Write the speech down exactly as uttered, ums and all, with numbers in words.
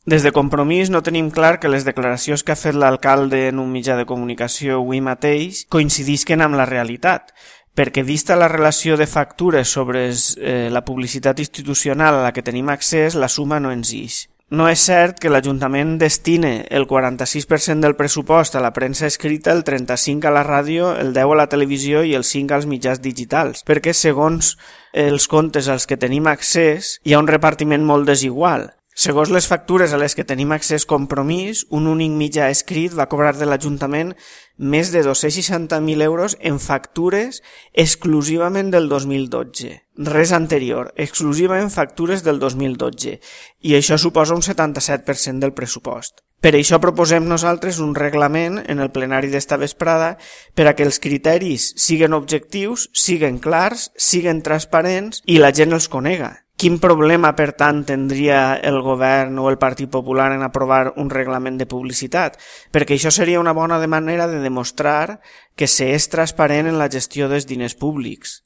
Des de Compromís no tenim clar que les declaracions que ha fet l'alcalde en un mitjà de comunicació avui mateix coincidisquen amb la realitat, perquè vista la relació de factures sobre eh, la publicitat institucional a la que tenim accés, la suma no ens ix. No és cert que l'Ajuntament destine el quaranta-sis per cent del pressupost a la premsa escrita, el trenta-cinc per cent a la ràdio, el deu per cent a la televisió i el cinc per cent als mitjans digitals, perquè segons els comptes als que tenim accés hi ha un repartiment molt desigual. Segons les factures a les que tenim accés Compromís, un únic mitjà escrit va cobrar de l'Ajuntament més de dos-cents seixanta mil euros en factures exclusivament del dos mil dotze. Res anterior, exclusivament factures del dos mil dotze. I això suposa un setanta-set per cent del pressupost. Per això proposem nosaltres un reglament en el plenari d'esta vesprada per a que els criteris siguen objectius, siguen clars, siguen transparents i la gent els conega. Quin problema, per tant, tindria el govern o el Partit Popular en aprovar un reglament de publicitat? Perquè això seria una bona manera de demostrar que s'és transparent en la gestió dels diners públics.